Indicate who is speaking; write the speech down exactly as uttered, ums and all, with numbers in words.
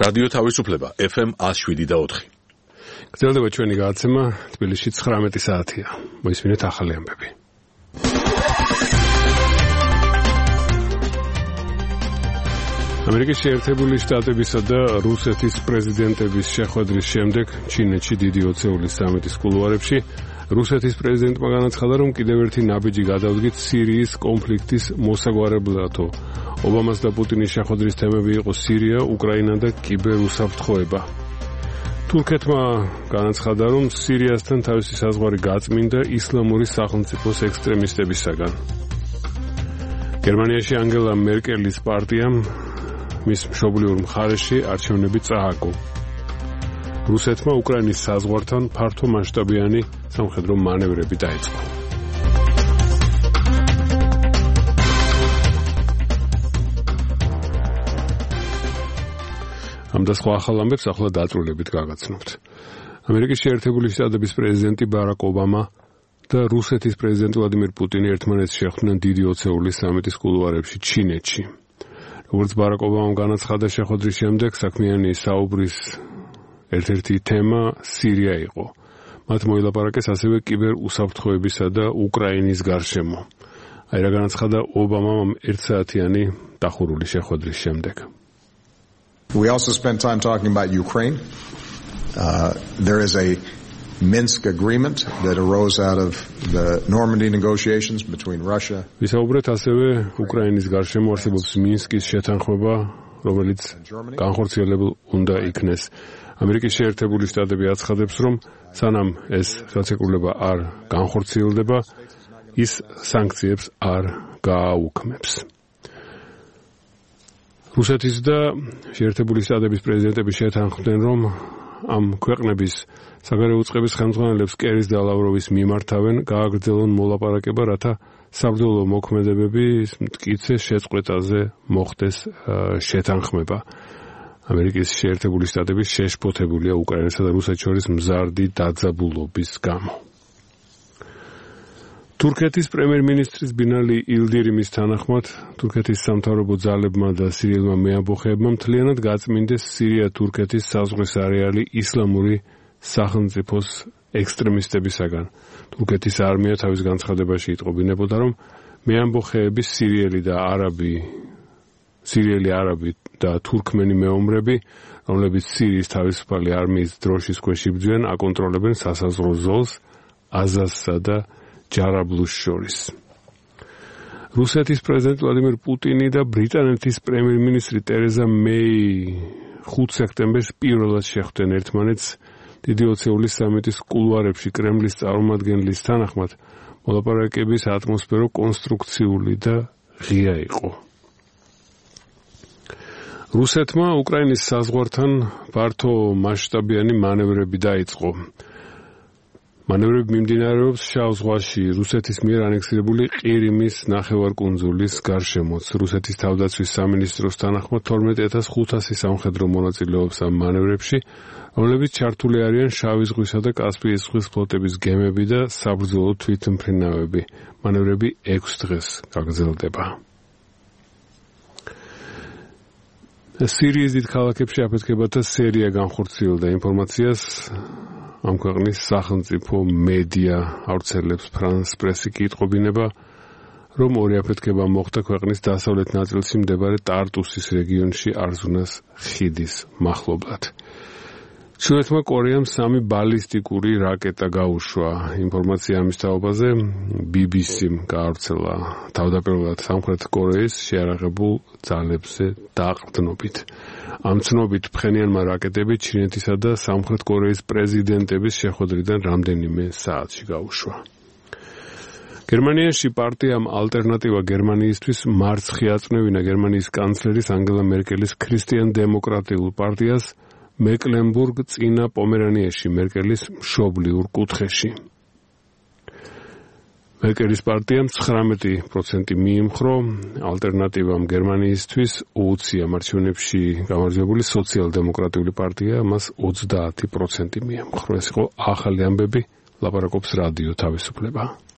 Speaker 1: რადიო თავისუფლება F M one oh seven და four.
Speaker 2: გრძელდება ჩვენი გადაცემა თბილისში ცხრამეტი საათია. მოისმინეთ ახალი ამბები. ამერიკის შეერთებული შტატებისა და რუსეთის პრეზიდენტების შეხვედრის შემდეგ ჩინეთში დიდი ოცეულის სამიტის კულუარებში რუსეთის პრეზიდენტმა განაცხადა, რომ კიდევ ერთი ნაბიჯი გადავდგით სირიის კონფლიქტის მოსაგვარებლადო. ობამას და პუტინის შეხვედრის თემები იყო სირია, უკრაინა და კიბერუსაფრთხოება. თურქეთმა განაცხადა, რომ სირიასთან თავისი საზღვარი გაწმინდა ისლამური სახელმწიფოს ექსტრემისტებისაგან. გერმანიაში ანგელა მერკელის პარტიამ მის მშობლიურ მხარეში არჩევნები წააგო. რუსეთმა უკრაინის საზღვართან ფართო მასშტაბიანი სამხედრო მანევრები დაიწყო. ამ და სხვა ახალ ამბებს ახლა დაწვრილებით გაგაცნობთ. ამერიკის შეერთებული შტატების პრეზიდენტი ბარაკ ობამა და რუსეთის პრეზიდენტი ვლადიმირ პუტინი ერთმანეთს შეხვდნენ დიდი ოცეულის სამიტის კულუარებში ჩინეთში. როგორც ბარაკ ობამამ განაცხადა შეხვედრის შემდეგ, საქმიანი საუბრის ერთ-ერთი თემა სირია იყო. მათ მოილაპარაკეს ასევე კიბერუსაფრთხოებისა და უკრაინის გარშემო. აი რა განაცხადა ობამამ ერთსაათიანი დახურული შეხვედრის შემდეგ.
Speaker 3: We also spent time talking about Ukraine. Uh, there is a Minsk agreement that arose out of the Normandy negotiations between Russia.
Speaker 2: ვისაუბრეთ ასევე უკრაინის გარშემო არსებობს მინსკის შეთანხმება, რომელიც განხორციელებულ უნდა იქნეს. ამერიკის შეერთებული შტატები აცხადებს, რომ სანამ ეს ხელშეკრულება არ განხორციელდება, ის სანქციებს არ გააუქმებს. რუსეთის და შეერთებული შტატების პრეზიდენტები შეთანხმდნენ, რომ ამ ქვეყნების საგარეო უწყების ხელმძღვანელებს კერის და ლავროვის მიმართავენ გააგრძელონ მოლაპარაკება, რათა საბრძოლო მოქმედებების მტკიცე შეწყვეტაზე მოხდეს შეთანხმება. ამერიკის შეერთებული შტატები შეშფოთებულია უკრაინასა და რუსეთს შორის მზარდი დაძაბულობის გამო. თურქეთის პრემიერ-მინისტრის ბინალი ილდირიმის თანახმად, თურქეთის სამთავრობო ძალებმა და სირიელმა მეამბოხეებმა მთლიანად გაწმინდეს სირია-თურქეთის საზღვრის არეალი ისლამური სახელმწიფოს ექსტრემისტებისაგან. თურქეთის არმია თავის განცხადებაში იტყობინებოდა, რომ მეამბოხეების სირიელი და არაბი სირიელი არაბი და თურქმენი მეომრები, რომლებიც სირიის თავისუფალი არმიის დროშის ქვეშ იბრძვიან, აკონტროლებენ სასაზღვრო ზოლს აზაზსა და ჯარაბლუს შორის. რუსეთის პრეზიდენტ ვლადიმირ პუტინი და ბრიტანეთის პრემიერ-მინისტრი ტერეზა მეი ხუთ სექტემბერს პირველად შეხვდნენ ერთმანეთს დიდი ოცეულის სამიტის კულუარებში. კრემლის წარმომადგენლის თანახმად, მოლაპარაკების ატმოსფერო კონსტრუქციული და ღია იყო. რუსეთმა უკრაინის საზღვართან ფართო მასშტაბიანი მანევრები დაიწყო. მანევრები მიმდინარეობს შავ ზღვაში, რუსეთის მიერ ანექსირებული ყირიმის ნახევარკუნძულის გარშემოც. რუსეთის თავდაცვის სამინისტროს თანახმად თორმეტ ათას ხუთასი სამხედრო მონაწილეობს ამ მანევრებში, რომლებიც ჩართული არიან შავი ზღვისა და კასპიის ზღვის ფლოტების გემები და საბრძოლო თვითმფრინავები. მანევრები ექვს დღეს გაგრძელდება. სირიის დიდ ქალაქებში აფეთქებათა სერია განხორციელდა. ინფორმაციას ამ ქვეყნის სახელმწიფო მედია ავრცელებს. ფრანს პრესი კი იტყობინება, რომ ორი აფეთქება მოხდა ქვეყნის დასავლეთ ნაწილში მდებარე ტარტუსის რეგიონში არზუნას ხიდის მახლობლად. ჩინეთმა კორეამ სამი ბალისტიკური რაკეტა გაუშვა. ინფორმაცია ამის თაობაზე ბი ბი სიმ გაავრცელა თავდაპირველად სამხრეთ კორეის შეიარაღებულ ძალებზე დაყრდნობით. ამ ცნობით ფხენიანმა რაკეტები ჩინეთისა და სამხრეთ კორეის პრეზიდენტების შეხვედრიდან რამდენიმე საათში გაუშვა. გერმანიაში პარტიამ ალტერნატივა გერმანიისთვის მარცხი აწნევინა გერმანიის კანცლერის ანგელა მერკელის ქრისტიან-დემოკრატიულ პარტიას მეკლენბურგ წინა პომერანიაში მერკელის მშობლიურ კუთხეში. მერკელის პარტიამ ცხრამეტი პროცენტი მიიმხრო, ალტერნატივამ გერმანიისთვის უუცია მარჩევნებში გამარჯვებული სოციალ-დემოკრატიული პარტია მას ოცდაათი პროცენტი მიემხრო. ეს იყო ახალი ამბები, ლაპარაკობს რადიო თავისუფლება.